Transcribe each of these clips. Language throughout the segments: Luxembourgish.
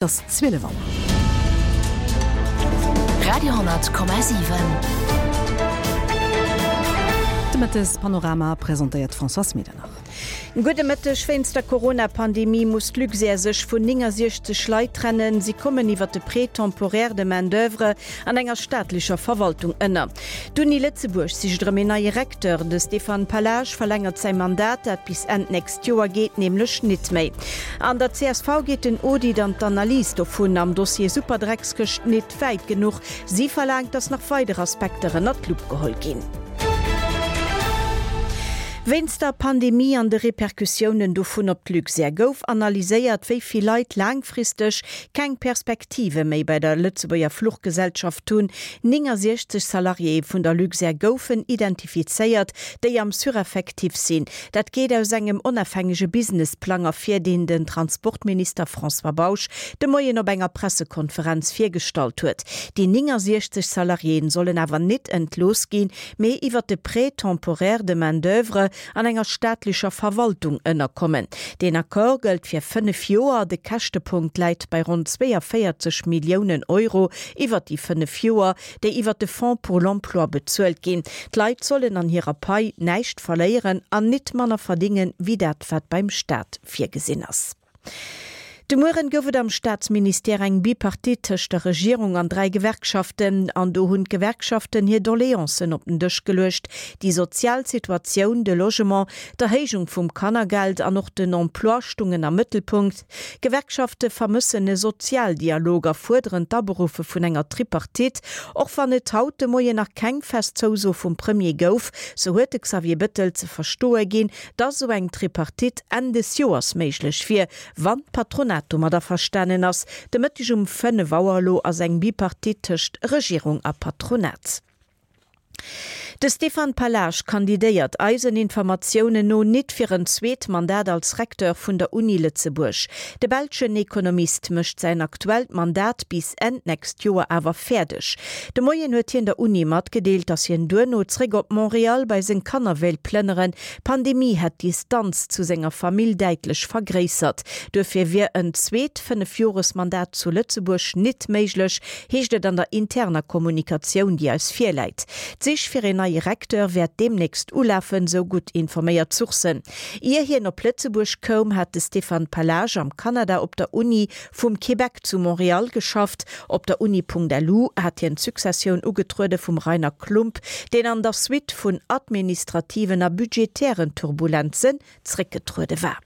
Et ass 12 Auer. Radio,7. De Mëttespanorama presentéiert d'Françoise Medernach. Gudde Mëtteg. Wéinst der Corona-Pandemie muss d'Luxair sech vun 69 Leit trennen. Si kommen iwwer de Prêt temporaire de main d'oeuvre an enger staatlecher Verwaltung ënner. D'Uni Lëtzebuerg sicht erëm een neie Recteur. De Stéphane Pallage verlängert säi Mandat, dat bis Enn d'nächst Joer geet nämlech nit méi. An der csv geet den Audit an d'Analys dovun am Dossier Superdreckskëscht nit wäit genuch. Si verlaangt, datt nach weider Aspekter ënnert d'Lupp geholl ginn. Wéinst der Pandemie an de Repercussiounen dovun op d'Luxair gouf analyséiert, wéi vill Leit laangfristeg keng Perspektive méi bei der Lëtzebuerger Fluchgesellschaft hunn. 69 Salariéë vun der Luxair goufen identifizéiert, déi am Sureffectif sinn. Dat geet aus engem onafhängege Businessplang ervir, deen den Transportminister François Bausch de Moien op enger Pressekonferenz virgestallt huet. Déi 69 Salariéen sollen awer nit entlooss ginn, mee iwwer de Prêt temporaire de main d'oeuvre an enger staatlecher Verwaltung ënnerkommen. Deen Accord gëllt fir 5 Joer. De Käschtepunkt läit bei ronn 42 Milliounen Euro iwwer déi 5 Joer. déi iwwer de Fonds pour l'emploi bezuelt ginn. D'Leit sollen an hirer Pai näischt verléieren an nit manner verdingen, wéi dat wat beim Staat virgesinn ass. De Mueren gouf et am Staatsministère eng Bipartite tëscht der Regierung an 3 Gewerkschaften. An do hunn d'Gewerkschaften hir Doleancen op den Dësch geluecht. Déi sozial Situatioun, de Logement, d'Erhéijung vum Kannergeld an och den Emploi stungen am Mëttelpunkt. D'Gewerkschafte vermëssen e Sozialdialog a fuerderen d'Aberuffe vun enger Tripartite. Och wann et haut de Moien nach keng fest Zouso vum Premier gouf, sou huet de Xavier Bettel ze verstoe ginn, datt esou eng Tripartite Enn des Joers méiglech wier, wann d'Patronat domat averstanen ass. De Mëtteg um 5 Auer elo ass eng Bipartite tëscht Regierung a Patronat. De Stéphane Pallage kandidéiert eisen Informatiounen no nit fir en zweet Mandat als Recteur vun der Uni Lëtzebuerg. De belschen Ekonomist mécht säin aktuellt Mandat bis Enn d'nächst Joer awer fäerdeg. De Moien huet hien der Uni matgedeelt, datt hien duerno zréck op Montréal bei seng Kanner wéilt plënneren. D'Pandemie hätt d'Distanz zu senger Famill däitlech vergréissert. Duerfir wier en zweet Fënnefjoresmandat zu Lëtzebuerg nit méiglech, heescht et an der interner Kommunikatioun, déi eis virläit. D'Sich fir een neie Recteur wäert deemnächst ulafen, sou gutt informéiert Sourcen. Ier hien op Lëtzebuerg koum, hat de Stéphane Pallage am Kanada op der Uni vum Québec zu Montréal geschafft. Op der Uni.lu hat hien d'Successioun ugetruede vum Rainer Klump, deen an der Suite vun administrativen a budgetären Turbulenzen zréckgetruede war.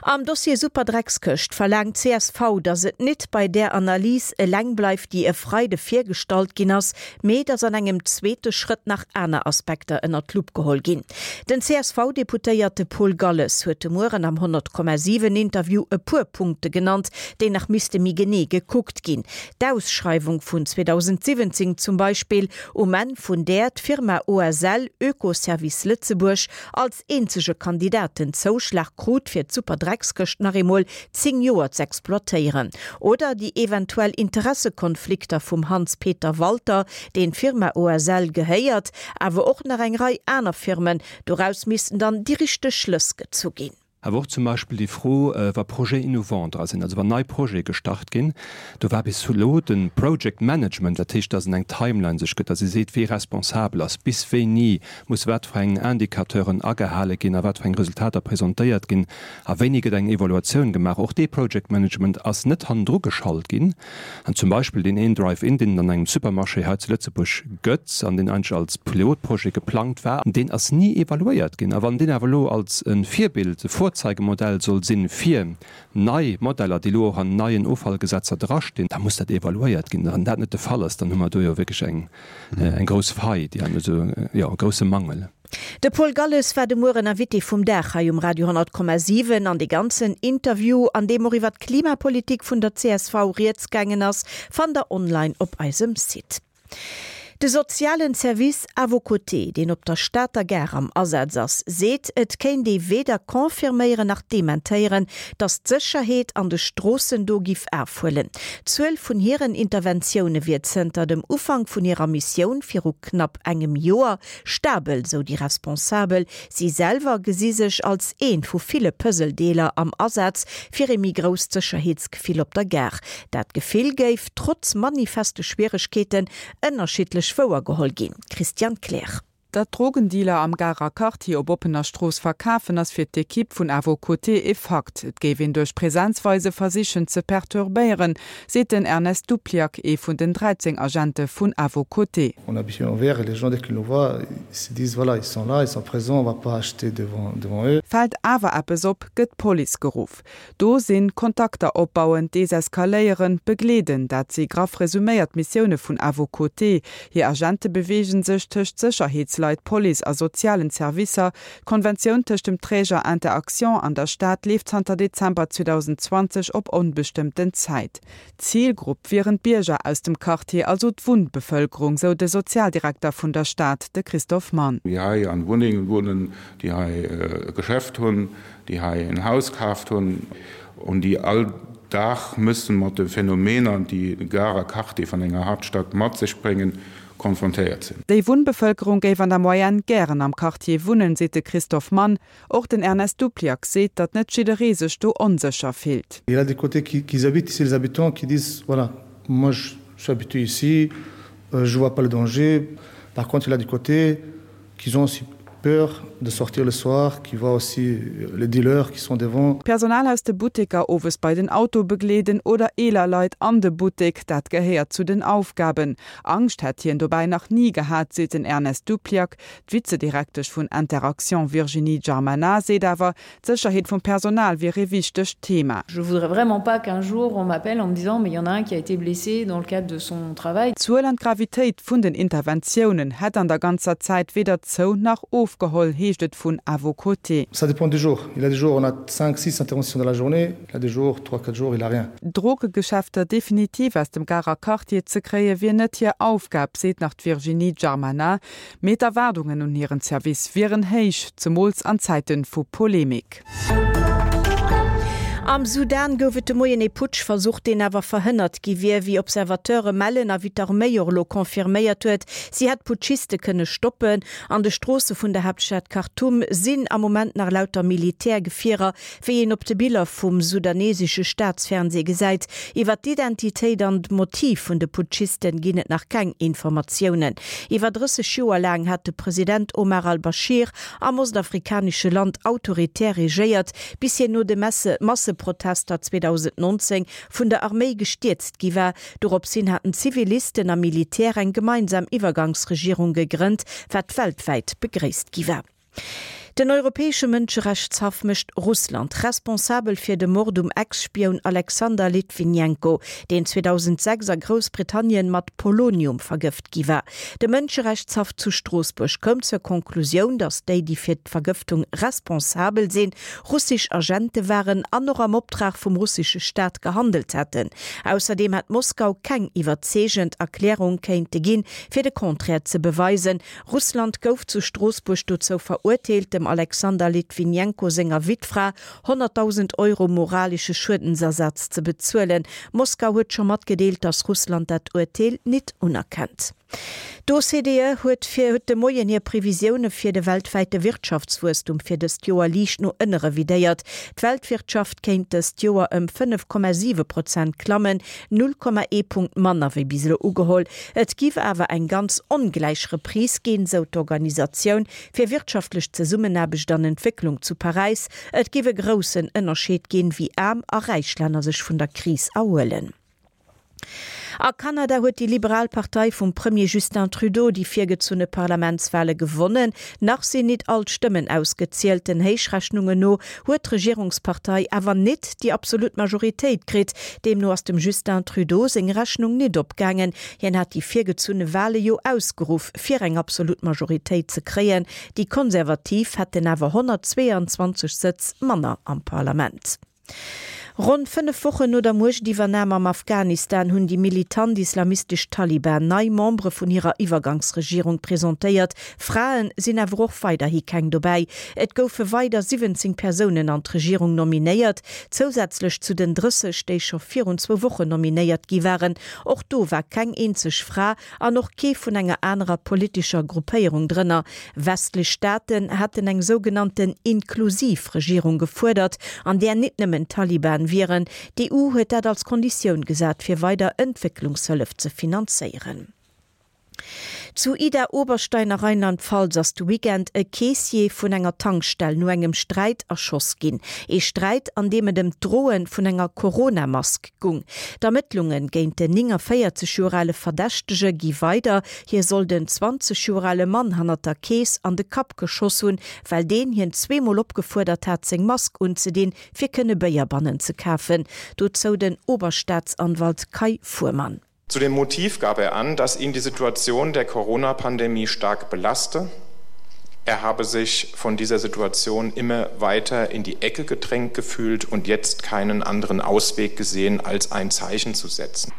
Am Dossier Superdreckskëscht verlaangt csv, datt et nit bei där Analys eleng bleift, déi e Freide virgestallt ginn ass, mee datt an engem zweete Schrëtt nach aner Aspekter ënnert d'Lupp geholl ginn. Den CSV-Deputéierte Paul Galles huet de Mueren am 100,7 Interview e puer Punkte genannt, déi nach misste méi genee gekuckt ginn. D'Ausschreiwung vun 2017 zum Beispill, um Enn vun där d'Firma OSL, Oekoservice Lëtzebuerg, als eenzege Kandidat den Zouschlag krut fir d'Superdreckskëscht nach eemol 10 Joer z'exploitéieren. Oder déi eventuell Interessekonflikter vum Hans-Peter Walter, deen d'Firma OSL gehéiert, awer och nach eng Rei aner Firmen. Doraus missten dann déi richteg Schlëss gezu ginn. Awer och zum Beispill déi Fro, wa Projets innovants dra sinn, also wann nei Projete gestart ginn, do war bis elo de Project Management, dat heescht, dass en eng Timeline sech gëtt, dass ee seet, wee responsabel ass, bis wéini muss wat fir eng Indicateuren agehale ginn a wat fir eng Resultater presentéiert ginn a wéini gëtt eng Evaluatioun gemaach. Och dee Project Management ass net hannendru geschalt ginn. An zum Beispill deen een Drive-In, deen et an engem Supermarché hei zu Lëtzebuerg gëtt an deen eigentlech als Pilotprojet geplangt war, deen ass ni evaluéiert ginn. A wann deen awer elo als e Virbild, e Vorzeigemodell soll sinn fir nei Modeller, déi elo och an neien Offallgesetzer drastinn, da muss dat evaluéiert ginn. A wann dat net de Fall ass, dann hu mer do jo wierklech eng grouss Faille, déi an also, jo, e grousse Mangel. De Paul Galles war de Mueren Invité vum Dag hei um Radio 10,7 an de ganzen Interview, an deem och iwwer d'Klimapolitik vun der csv rieds gaangen ass, fannt der online op eisem Site. De sozialen Service À vos côtés, deen op der Stater Gare am Asaz ass, seet, et kéint ee weder confirméieren nach dementéieren, datt d'Sécherheet an de Stroossen do giff afhuelen. D'Zuel vun hiren Interventioune wier zënter dem Ufank vun hirer Missioun viru knapp engem Joer stabel, sou déi Responsabel. Si selwer gesi sech als eent vu ville Puzzledeeler am Asaz fir ee méi grousst Sécherheetsgefill op der Gare. Dat Gefill géif, trotz manifeste Schwieregkeeten, ënnerschiddlech wouer geholl ginn. Christiane Kleer. Datt Drogendealer am Garer Quartier op oppener Strooss verkafen, ass fir d'Ekipp vun À vos côtés e Fakt. Et géif een duerch Präsenzweise versichen ze perturbéieren, seet den Ernest Dupliac, ee vun den 13 Agente vun À vos côtés. On habillé en vert et les gens dès qu'ils nous voient, ils se disent voilà, ils sont là, ils sont présents, on va pas acheter devant devant eux. Fält awer eppes op, gëtt d'Police geruff. Do sinn, Kontakter opbauen, deseskaléieren, begleeden, dat si graff resuméiert d'Missioune vun À vos côtés. Hir Agente beweege sech tëscht Sécherheetsleit, Police a sozialen Servicer. D'Konventioun tëscht dem Träger Inter-Actions an der Stad leeft zanter Dezember 2020 op onbestëmmten Zäit. D'Zilgrupp wieren d'Bierger aus dem Quartier, also d'Wunnbevëlkerung, sou de Sozialdirekter vun der Stad, de Christophe Mann. Déi hei an Wunnengen wunnen, déi hei e Geschäft hunn, déi hei en Haus kaaft hunn an déi all Dag müssen mat de Phänomener, déi e Garer Quartier van enger Haaptstadt mat sech bréngen, konfrontéiert sinn. Déi Wunnbevëlkerung géif an der Moyenne gären am Quartier wunnen, seet de Christophe Mann. Och den Ernest Dupliac seet, datt net jidderee sech do onsécher fillt. Il y a des côtés qui qui habitent ici, les habitants qui disent, voilà, moi je suis habitué ici, je vois pas le danger. Par contre il y a des côtés qui ont aussi peur de sortir le soir, qui voient aussi les dealers qui sont devant. D'Personal aus de Butteker owes bei den Auto begleeden oder eeler Leit an de Buttek, dat gehéiert zu den Aufgaben. Angscht hätt hien dobäi nach ni gehat, seet den Ernest Dupliac. D'Vizedirektesch vun Interaction Virginie Giarmana seet awer, D'Sécherheet vum Personal wier ee wichtegt Thema. Je voudrais vraiment pas qu'un jour on m'appelle en me disant mais il y en a un qui a été blessé dans le cadre de son travail. D'Zuel an d'Gravitéit vun den Interventiounen hätt an der ganzer Zäit weder zou nach ofgeholl, heescht et vun À vos côtés. Ça dépend des jours. Il y a des jours on a cinq, six interventions dans la journée, il y a des jours, trois, quatre jours, il a rien. D'Drogegeschäfter definitiv aus dem Garer Quartier ze kréie wier net hir Aufgab, seet nach d'Virginie Giarmana. Mee d'Erwaardungen un hiren Service wieren héich, zemools an Zäite vu Polemik. Am Sudan gouf et de Moien ee Putschversuch, deen awer verhënnert gi wier, wéi Observateure mellen a wéi d'Arméi och elo confirméiert huet. Si hätt d'Putschiste kënne stoppen. An de Stroosse vun der Haaptstad Khartoum sinn am Moment nach lauter Militärgefierer, Wéi een op de Biller vum sudanesesche Staatsfernsee gesäit, iwwer d'Identitéit an d'Motiv vun de Putschisten ginn et nach keng Informatiounen. Iwwer 30 Joer laang hat de President Omar al-Bashir am ostafrikanesche Land autoritär regéiert, bis hien no de Masseprotester 2019 vun der Arméi gestierzt gi war. Dorops hin haten Zivilisten a Militär eng gemeinsam Iwwergangsregierung gegrënnt, wat weltwäit begréisst gi war. Den Europäesche Mënscherechtshaff mécht Russland responsabel fir de Mord um Ex-Spioun Alexander Litwinenko, deen 2006 a Groussbritannien mat Polonium vergëft gi war. De Mënscherechtshaff zu Stroossbuerg koum zur Konklusioun, datt déi, déi fir d'Vergëftung responsabel sinn, russesch Agente waren an och am Optrag vum russesche Staat gehandelt hätten. Ausserdeem hätt Moskau keng iwwerzeegend Erklärung kéinte ginn, fir de Contraire ze beweisen. Russland gouf zu Stroossbuerg dozou verurteelt, dem Alexander Litwinenko senger Wittfra 100.000 Euro moralesche Schuedensersatz ze bezuelen. Moskau huet scho matgedeelt, datt Russland dat Urteel nit unerkennt. D'OCDE huet fir huet de Moien hir Previsioune fir de weltwäite Wirtschaftswuesstum fir dëst Joer liicht no ënne revidéiert. D'Weltwirtschaft kéint dëst Joer ëm 5,7 Prozent klammen, 0,1 Punkt manner wéi bis elo ugeholl. Et giff awer eng ganz ongläich Reprise ginn, sou d'Organisatioun fir wirtschaftlech Zesummenaarbecht an Entwécklung zu Paräis. Et giff e groussen Ënnerscheed ginn, wéi aarm a räich Länner sech vun der Kris erhuelen. A Kanada huet déi liberal Partei vum Premier Justin Trudeau déi virgezunne Parlamentswale gewonnen. Nach sinn nit all d'Stëmmen ausgezielt. Den Héichrechnungen no huet d'Regierungspartei awer nit déi absolut Majoritéit kritt. Deemno ass dem Justin Trudeau seng Rechnung nit opgaangen. Hien hat déi virgezunne Wale jo ausgeruff, fir eng absolut Majoritéit ze kréien. Déi Konservativ hätten awer 122 Sëtz manner am Parlament. Ronn 5 Wochen no der Muechtiwwernam am Afghanistan hunn déi militant islamistesch Taliban nei Membere vun hirer Iwwergangsregierung presentéiert. Frae sinn awer och weiderhi keng dobäi. Et goufe weider 17 Persounen an d'Regierung nominéiert, zousätzlech zu den 30, déi scho virun zwou Wochen nominéiert gi waren. Och do war keng eenzeg Fra an och kee vun enger anerer politescher Gruppéierung drënner. Westlech Staaten haten eng sougenannten inklusiv Regierung gefuerdert, an där nit nëmmen d'Taliban wieren. D'EU huet dat als Konditioun gesat, fir weider Entwécklungshëllef ze finanzéieren. Zu Idar-Oberstein a Rheinland-Pfalz ass de Weekend e Keessier vun enger Tankstell no engem Sträit erschoss ginn. Ee Sträit, an deem et ëm d'Droe vun enger Corona-Mask gung. D'Ermëttlunge géint den 49 Joer ale Verdächtege gi weider. Hie soll den 20 Joer ale Mann hannert der Kees an de Kapp geschoss hunn, well deen hien zweemol opgefuerdert hat, seng Mask unzedinn, fir kënne Béier bannen ze kafen. Dozou den Oberstaatsanwalt Kai Fuhrmann. Zu dem Motiv gab er an, dass ihn die Situation der Corona-Pandemie stark belaste. Er habe sich von dieser Situation immer weiter in die Ecke gedrängt gefühlt und jetzt keinen anderen Ausweg gesehen, als ein Zeichen zu setzen.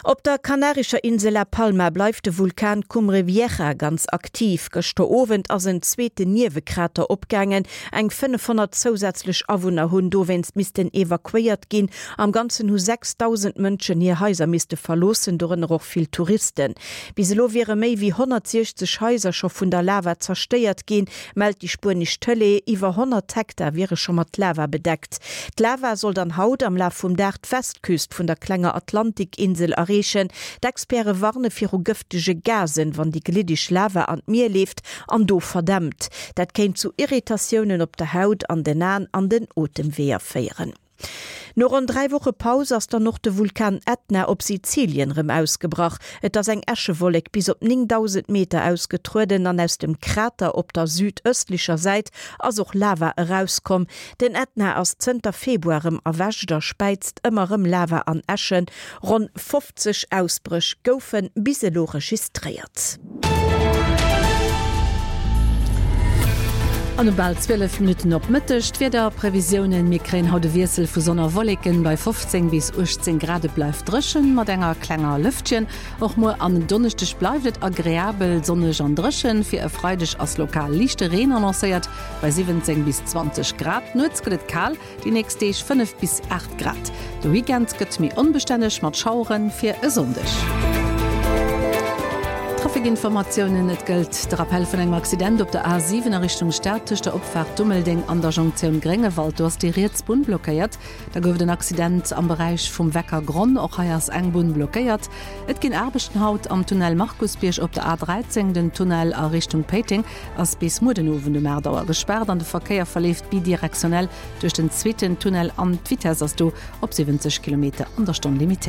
Op der kanarescher Insel La Palma bleift de Vulkan Cumbre Vieja ganz aktiv. Gëschter Owend ass en zweeten Niewekrater opgaangen. Eng 500 zousätzlech Awunner hunn dowéinst missten evakuéiert ginn. Am Ganzen hu 6.000 Mënschen hir Haiser misste verloossen, dorënner och vill Touristen. Bis elo wiere méi wéi 160 Haiser scho vun der Lava zerstéiert ginn, mellt déi spuenesch Tëlee. Iwwer 100 Hektar wiere scho mat Lava bedeckt. D'Lava soll dann haut am Laf vum Dag d'Westküst vun der klenger Atlantikinsel erreechen. D'Experte warne viru gëftege Gasen, wann déi gliddeg Lava an d'Mier leeft an do verdämpt. Dat kéint zu Irritatiounen op der Haut, an den Aen an den Otemweeër féieren. No ronn 3 Woche Paus ass dann och de Vulkan Ätna op Sizilien rëm ausgebrach. Et ass eng Äschewollek bis op 9.000 Meter ausgetrueden an aus dem Krater op der südëstlecher Säit ass och Lava erauskomm. Den Ätna ass zënter Februar rëm erwächt a späizt ëmmer rëm Lava an Äschen. Ronn 50 Ausbréch goufe bis elo registréiert. An um bal 12 Minutten op Mëtteg d'Wiederprevisiounen, Mir kréien haut e Wiessel vu Sonn a Wolleken bei 15 bis 18 Grad. Et bleift dréchen mat enger klenger Lëftchen. Och muer an en Donneschdeg bleift et agreabel sonneg an dréchen. Fir e Freideg ass lokal liichte Reen annoncéiert bei 17 bis 20 Grad. Nuets gëtt et kal, Déi nächst Deeg 5 bis 8 Grad. De Weekend gëtt méi onbestänneg mat Schauere fir e Sonndeg. Traficinformatiounen, Et gëllt de Rappell vun engem Accident op der A7 a Richtung Stad tëscht der Opfaart Dummeldeng an der Jonktioun Gréngewald. Do ass déi riets Bunn blockéiert. Da gouf et en Accident am Beräich vum Weckergronn. Och hei ass eng Bunn blockéiert. Et ginn Aarbechten haut am Tunnel Markusbierg op der A13. Den Tunnel a Richtung Péiteng ass bis muer den Owend um 8 Auer gespaart an de Verkéier verleeft bidirektionell duerch den zweeten Tunnel an d'Vitess ass do op 70 Kilometer an der Stonn limitéiert.